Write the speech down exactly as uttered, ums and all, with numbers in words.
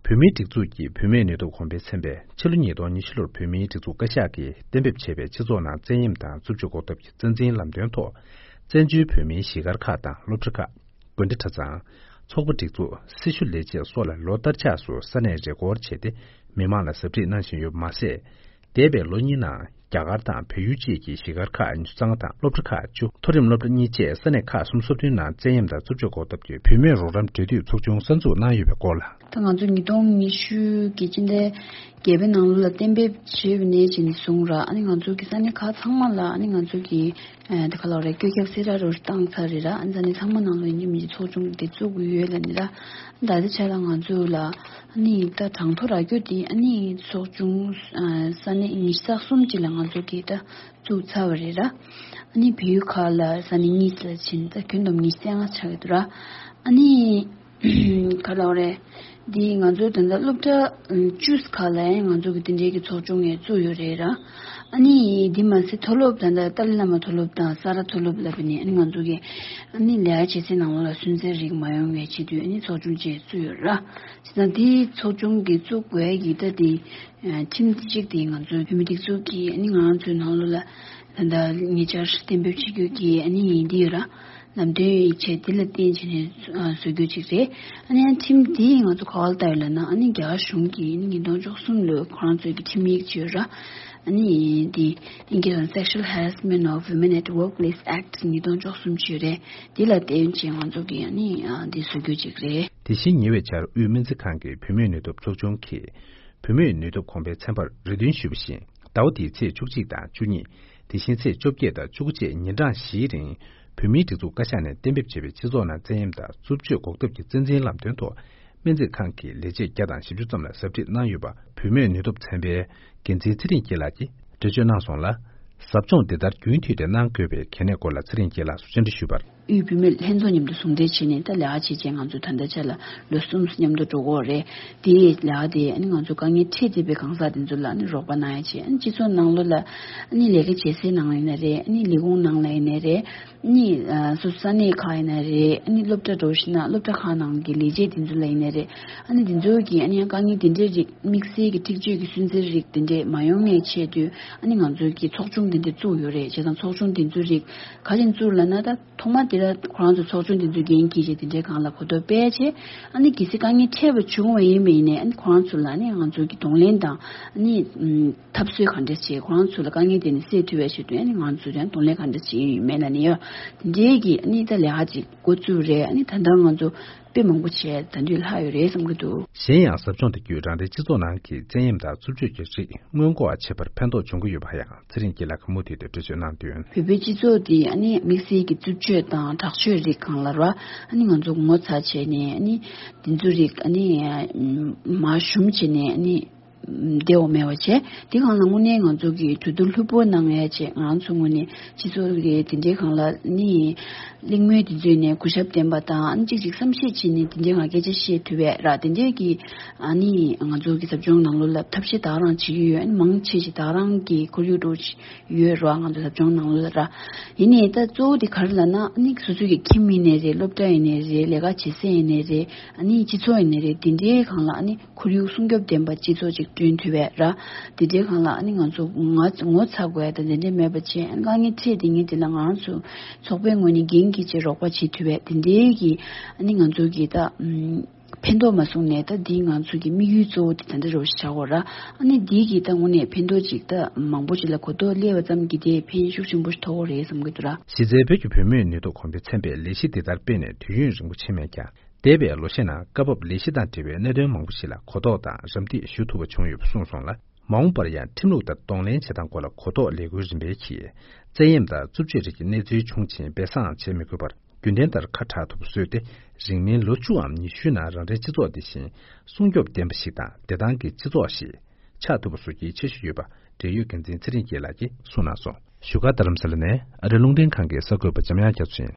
བོད་མིའི་སྒྲིག་འཛུགས་ཀྱི་བུད་མེད་ནུས་སྟོབས་གོང་འཕེལ་ཚན་པས་ཕྱི་ལོ་ཉིས་སྟོང་ཉི་ཤུ་ལོར་བོད་མིའི་སྒྲིག་འཛུགས་བཀའ་ཤག་གིས་གཏན་འབེབས་བྱས་པའི་སྤྱི་ཚོགས་ནང་བཙན་གཡེམ་དང་རྩུབ་སྤྱོད་འགོག་ཐབས་ཀྱི་རྩ་འཛིན་ལམ་སྟོན་ཐོག་བཙན་བྱོལ་བོད་མིའི་གཞིས་སྒར་ཁག་དང་སློབ་གྲྭ་ཁག་དགོན་སྡེ་གྲྭ་ཚང་། ཚོགས་པ་སྒྲིག་འཛུགས། སྲི་ཞུ་ལས་བྱེད་སོགས་ལ་ལོ་ལྟར་ཆགས་སུ་ས་གནས་རེས་སྐོར་བྱས་ཏེ། མི་མང་ལ་ཟབ་ཁྲིད་གནང་བཞིན་ཡོད་པ་མ་ཟད། འདས་པའི་ལོ་གཉིས་ནང་རྒྱ་གར་དང་བལ་ཡུལ་བཅས་ཀྱི་གཞིས་སྒར་ཁག་ཉི་ཤུ་རྩ་ལྔ་དང་སློབ་གྲྭ་ཁག་བཅུ། མཐོ་རིམ་སློབ་གྲྭ་གཉིས་བཅས་ས་གནས་ཁག་སུམ་ཅུ་སོ་བདུན་ནང་བཙན་གཡེམ་དང་རྩུབ་སྤྱོད་འགོག་ཐབས་ཀྱི་བུད་མེད་རོགས་རམ་འབྲེལ་མཐུད་ཚོགས་ཆུང་གསར་འཛུགས་གནང་ཡོད་པའི་སྐོར་ལ། ད་ང་ཚོ་ཉིས་སྟོང་ཉི་ཤུ་གི་སྤྱི་ཟླ་བརྒྱད་པའི་ནང་ལོ་ལ་གཏན་འབེབས་བྱས་པ་ནས་བྱས་ནས་བཟུང་ར། ཨ་ནི་ང་ཚོ་གི་ས་གནས་ཁག་ཚང་མ་ལ་ཨ་ནི་ང་ཚོ་གི་ཨ་དེ་ག་ལབ་རེད། བཀོད་ཁྱབ་གསལ་བསྒྲགས་རོ་བཏང་ཚར་རེད་ར། ཨ་ནི་ས་གནས་ཚང་མ་ནང་ལོ་ཡིན་གྱི་མིན་གྱི་ཚོགས་ཆུང་དེ་བཙུགས་ཀྱི་ཡོད་ལབ་ནི་ར། ད་ལྟའི་ཆ་ལ་ང་ཚོ་ལ་ཨ་ནི་ད་གྲངས་ཐོ་རག་རྒྱུ་དེ་ཨ་ནི་ཚོགས་ཆུང་ཨ་ས་གནས་ཉི་ཤུ་རྩ་གསུམ་ཅིག་ལ་ང་ཚོ་གི་ད་བཙུགས་ཚར་བ་རེད་ར། ཨ་ནི་བལ་ཡུལ་ཁག་ལ་ས་གནས་གཉིས་ལ་ཕྱིན། ད་ཁྱོན་བསྡོམས་ཉི་ཤུ་རྩ་ལྔ་ཆགས་ཀྱི་འདུག་ར། ཨ་ནི་ག་ལབ་རེད། འདི་ང་ཚོ་ད་ལྟ་སློབ་གྲྭ་བཅུ་ཁག་ལ་ཡང་ང་ཚོ་གི་དེ་འདྲའི་གི་ཚོགས་ཆུང་ཡང་བཙུགས་ཡོད་རེད་ར། ཨ་ནི་འདི་མ་ཟད་མཐོ་སློབ་ད་ལྟ་ཏཱ་ལའི་བླ་མ་མཐོ་སློབ་དང་ས་རཱ་མཐོ་སློབ་ལབ་པ་ནི་ཨ་ནི་ང་ཚོ་གི་ཨ་ནི་ལས་ཀ་བྱེད་སའི་ནང་ལོགས་ལ་སུན་གཙེར་རིགས་མ་ཡོང་བའི་ཆེད་དུ་ཨ་ནི་ཚོགས་ཆུང་ཅིག་བཙུགས་ཡོད་ར། བྱས་ཙང་འདི་ཚོགས་ཆུང་གི་བཙུགས་དགོས་ཡ་གི་ད་འདི་ཁྲིམས་འདི་གཅིག་དེ་ང་ཚོའི་བོད་མི་སྒྲིག་འཛུགས་ཀྱིས་ཨ་ནི་ང་ཚོའི་ནང་ལོགས་ལ་ད་ལྟ་ཉེ་ཆར་གཏན་འབེབས་བྱེད་རྒྱུ་གི་ཨ་ནི་འདི་ཡོད་ར། ལམ་སྟོན་ཡིག་ཆ་འདི་ལ་བརྟེན་བྱས་ནས་ཨ་བཟོ་རྒྱུ་ཅིག་རེད། ཨ་ནི་ཁྲིམས་འདི་ང་ཚོ་ག་པར་བལྟ་ཡོད་ལབ་ན་ཨ་ནི་རྒྱ་གར་གཞུང་གིས་ཨ་ནི་ཉིས་སྟོང་བཅུ་གསུམ་ལོའི་ཁོ་རང་ཚོའི་གི་ཁྲིམས་ཡིག་ཅིག་ཡོད་ར། ཨ་ནི་འདི་ཨིན་སྐད་ལ་Sexual Harassment of Women at Workplace Act ཉིས་སྟོང་བཅུ་གསུམ་ཅིག་ཡོད་རེད། འདི་ལ་བརྟེན་བྱས་ང་ཚོ་གིས་ཨ་ནི་ཨ་འདི་བཟོ་རྒྱུ་ཅིག་རེད། དེ་བཞིན་ཉེ་བའི་ཆར་དབུས་སྨན་རྩིས་ཁང་གི་བུད་མེད་ནུས་སྟོབས་ཚོགས་ཆུང་གིས་བུད་མེད་ནུས་སྟོབས་གོང་འཕེལ་ཚན་པར་རེ་འདུན་ཞུས་པ་བཞིན། ཟླ་བ་འདིའི་ཚེས་བཅུ་གཅིག་དང་བཅུ་གཉིས། དེ་བཞིན་ཚེས་བཅོ་བརྒྱད་དང་བཅུ་དགུ་བཅས་ཉིན་གྲངས་བཞིའི་རིང་། བོད་མིའི་སྒྲིག་འཛུགས་བཀའ་ཤག་ནས་གཏན་འབེབས་བྱས་པའི་སྤྱི་ཚོགས་ནང་བཙན་གཡེམ་དང་རྩུབ་སྤྱོད་འགོག་ཐབས་ཀྱི་རྩ་འཛིན་ལམ་སྟོན་ཐོག་སྨན་རྩིས་ཁང་གི་ལས་བྱེད་བརྒྱ་དང་བཞི་བཅུ་ཙམ་ལ་ཟབ་ཁྲིད་གནང་ཡོད་པ། བུད་མེད་ནུས་སྟོབས་ཚན་པའི་འགན་འཛིན་ཚེ་རིང་སྐྱིད་ལགས་ཀྱིས་འགྲེལ་བརྗོད་གནང་སོང་ལ། ཟབ་སྦྱོང་འདི་ལྟར་རྒྱུན་མཐུད་དེ་གནང་དགོས་པའི་གལ་གནད་སྐོར་ལ་ཚེ་རིང་སྐྱིད་ལགས་སུ་བཅར་འདྲི་ཞུས་པར། དབུས་བུད་མེད་ལྷན་ཚོགས་མཉམ་དུ་ཟུང་འབྲེལ་བྱས་ནས་ད་ལས་ཀ་བྱེད་ཆེད་ང་ཚོ་ད་ལྟ་ཆ་ལ་ལོ་གསུམ་མཉམ་དུ་འགྲོ་གི་ཡོད་རེད། དེའི་ལས་ཀ་དེ་ཨ་ནི་ང་ཚོ་དཀའ་ངལ་འཕྲད་བསྡད་པའི་གང་ཟག་དེ་ཚོ་ལ་ཨ་ནི་རོགས་པ་གནང་ཡ་བྱས། ཨ་ནི་སྤྱི་ཚོགས་ནང་ལོགས་ལ་ཨ་ནི་ལས་ཀ་བྱེད་སའི་ནང་ཡིན་ན་རེད། ཨ་ནི་ལས་ཁུངས་ནང་ལ་ཡིན་ན་རེད། ཨ་ནི་ཨ་སོ་སོ་ས་གནས་ཁག་ཡིན་ན་རེད། ཨ་ནི་སློབ་གྲྭ་འགྲོ་ཤེས་ན་སློབ་གྲྭ་ཁག་ནང་གི་ལས་བྱེད་དེ་ཚོ་ལ་ཡིན་ན་རེད། ཨ་ནི་དེ་ཚོ་གིས་ཨ་ནི་ཡང་དཀའ་ངལ་དེ་འདྲའི་རིགས་དམིགས་བསལ་གྱི་འཁྲིག་སྤྱོད་ཀྱི་སུན་གཙེར་རིགས་དེ་འདྲས་མ་ཡོང་ངེས་ཆེད་དུ་ཨ་ནི་ང་ཚོ་གི་ཚོགས་ཆུང་དེ་འདྲས་བཙུགས་ཡོད་རེད། བྱས་ཙང་ཚོགས་ཆུང་དེ་ཚོའི་རིགས་ག་རེ་བཙུགས་ལབ་ན། ད་ཐོག་མ་དེ་ལ་ཁོ་རང་ཚོ་ཚོགས་ཆུང་དེ་ཚོའི་འགན་འཁྱེར་བྱས་དེ་འདྲའི་སྒང་ལ་གོ་རྟོགས་སྤེལ་བྱས། ཨ་ནི་གལ་སྲིད་དཀའ་ངལ་འཕྲད་པ་བྱུང་བ་ཡིན་པ་ཡིན་ནའི་ཨ་ནི་ཁོ་རང་ཚོ་ལ་ཨ་ནི་ང་ཚོ་གི་གདོང་ལེན་དང་ཨ་ནི་ཨམ་འཐབ་རྩོད་ག་འདྲས་བྱས། ཁོ་རང་ཚོ་ལ་དཀའ་ངལ་དེ་ནི་སེལ་ཐུབ་པའི་ཆེད་དུ་ཨ་ནི་ང་ཚོ་ཡང་གདོང་ལེན་ག་འདྲས་བྱེད་ཀྱི་ཡོད་མེད་ལབ་ནས་ཡོད། དེ་འདྲའི་གི་ཨ་ནི་ད་ལས་ཀ་ཅིག་འགོ་བཙུགས་རེད། ཨ་ནི་ད་ལྟ་ང་ཚོ་དཔེ་མང་པོ་བྱས་ད་དུང་ལྷག་ཡོད་རེད་བསམ་གྱི་འདུག་གཞན་ཡང་ཟབ་སྦྱོང་དེ་བརྒྱུད་རང་རེའི་སྤྱི་ཚོགས་ནང་གི་བཙན་གཡེམ་དང་རྩུབ་སྤྱོད་ཀྱི་རིགས་སྔོན་འགོག་བྱེད་པར་ཕན་ཐོགས་འབྱུང་གི་ཡོད་པ་ཡང་ཚེ་རིང་སྐྱིད་ལགས་ཀྱིས་མུ་མཐུད་དུ་འགྲེལ་བརྗོད་གནང་དོན། བོད་པའི་སྤྱི་ཚོགས་འདི་ཨ་ནི་དམིགས་བསལ་གྱི་རྩུབ་སྤྱོད་དང་དྲག་སྤྱོད་རིགས་སྒང་ལ་ར་ཨ་ནི་ང་ཚོ་ངོ་ཚ་བྱས་ནས་ཨ་ནི་དེ་ཚོ་རིགས་ཨ་ནི་མར་ཞུམ་བྱས་ནས་ཨ་ནི་བདེ་བོ་མེད་པ་བྱས། དེ་སྒང་ལ་དངོས་གནས་ང་ཚོ་གི་གྲོས་བསྡུར་ལྷུག་པོ་གནང་ཡ་བྱས། ང་ཚོ་ངོས་ནས་སྤྱི་ཚོགས་ཀྱི་དེ་འདྲའི་སྒང་ལ་ནི་གླེང་མོལ་དེ་ཚོ་ནས་གུས་ཞབས་ལྡན་པ་དང་ཨ་ནི་གཅིག་གཅིག་བསམ་ཤེས་བྱས་ནས་དེ་འདྲའི་སྒང་སྐད་ཆ་བཤད་ཐུབ་པའི་ར། དེ་འདྲའི་གི་ཨ་ནི་ང་ཚོ་གི་ཟབ་སྦྱོང་ནང་ལོགས་ལ་ཐབས་ཤེས་ད་ག་རང་བྱེད་ཀྱི་ཡོད། ཨ་ནི་མང་ཆེ་ཞིག་ད་ག་རང་གི་ཁོར་ཡུག་འགྲོ་ཡོད་ར། ང་ཚོ་ཟབ་སྦྱོང་ནང་ལོགས་ལ་ར། ཡིན་ནའི་ད་གཙོ་བོ་དེ་ག་རེ་ལབ་ན་ཨ་ནི་སོ་སོ་གི་ཁྱིམ་ཡིན་ནའི་རེད། སློབ་གྲྭ་ཡིན་ནའི་རེད། ལས་ཀ་བྱེད་ས་ཡིན་ནའི་རེད། ཨ་ནི་སྤྱི་ཚོགས་ཡིན་ནའི་རེད། དེ་འདྲའི་སྒང་ལ་ཨ་ནི་ཁོར་ཡུག་སྲུང་སྐྱོབ་ལྡན་པ་སྤྱི་ཚོགས་ཅིག་བསྐྲུན་ཐུབ་པའི་ར། དེ་འདྲའི་སྒང་ལ་ཨ་ནི་ང་ཚོ་ང་ངོ་ཚ་དགོས་ཡ་ད་དེ་འདྲའི་མེད་པ་བྱས། ཨ་ནི་དཀའ་ངལ་འཕྲད་དེ་ངས་དེ་ལ་ང་རང་ཚོ་ཚོགས་པའི་ངོས་ནས་འགན་འཁྱེར་བྱས་རོགས་པ་བྱེད་ཐུབ་པའི་དེ་འདྲའི་གི་ཨ་ནི་ང་ཚོ་གི་ད་ཨམ་ཕན་ཐོགས་མ་སོང་ནས་ད་འདི་ང་ཚོ་གི་དམིགས་ཡུལ་གཙོ་བོ་དེ་ད་འདྲ་རོ་ཞིག་ཆགས་ཡོད་ར། ཨ་ནི་འདི་གི་ད་དངོས་གནས་ཕན་ཐོགས་ཅིག་ད་མང་པོ་ཅིག་ལ་གོ་རྟོགས་སླེབས་པ་ཙམ་གྱིས་དེ་ཕན་ཤུགས་ཆེན་པོ་ཞིག་ཐོགས་ཡོད་རེད་བསམ་གྱི་འདུག་ར། གཞི་རྩའི་བོད་ཀྱི་བུད་མེད་ནུས་སྟོབས་གོང་འཕེལ་ཚན་པས་ལས་གཞི་འདི་ལྟར་སྤེལ་ནས་དུས་ཡུན་རིང་པོ་ཕྱིན་མེད་ཀྱང་། འདས་པའི་ལོ་ཤས་ནང་སྐབས་བབ་ལས་གཞི་དང་འབྲེལ་བའི་གནད་དོན་མང་པོ་ཞིག་ལ་གོ་རྟོགས་དང་རམ་འདེགས་ཞུ་ཐུབ་པ་བྱུང་ཡོད་པ་གསུངས་སོང་ལ། མ་འོངས་པར་ཡང་ཁྲིམས་ལུགས་ལྟར་གདོང་ལེན་བྱེད་སྟངས་སྐོར་ལ་གོ་རྟོགས་ལས་འགུལ་རིམ་པས་ཀྱིས། བཙན་གཡེམ་དང་རྩུབ་སྤྱོད་རིགས་ཀྱི་གནས་ཚུལ་བྱུང་ཕྱིན་སྦས་གསང་བྱེད་མི་དགོས་པར། རྒྱུན་ལྡན་ལྟར་ཁ་གྲག་ཐུབ་པ་བཟོས་ཏེ། རིང་མིན་ལོ་བཅུའམ་ཉི་ཤུའི་ནང་རང་རེའི་སྤྱི་ཚོགས་འདི་བཞིན་སྲུང་སྐྱོབ་ལྡན་པ་ཞིག་དང་བདེ་ཐང་གི་སྤྱི་ཚོགས་ཤིག་ཆགས་ཐུབ་པ་བཟོ་རྒྱུའི་འཆར་གཞི་ཡོད་པ། འབྲེལ་ཡོད་འགན་འཛིན་ཚེ་རིང་སྐྱིད་ལགས་ཀྱིས་གསུངས་གནང་སོང་། བཞུགས་སྒར་རྡ་རམ་ས་ལ་ནས་ཨ་རིའི་རླུང་འཕྲིན་ཁང་གི་གསར་འགོད་པ་འཇམ་དབྱངས་རྒྱ་མཚོ་ཡིན།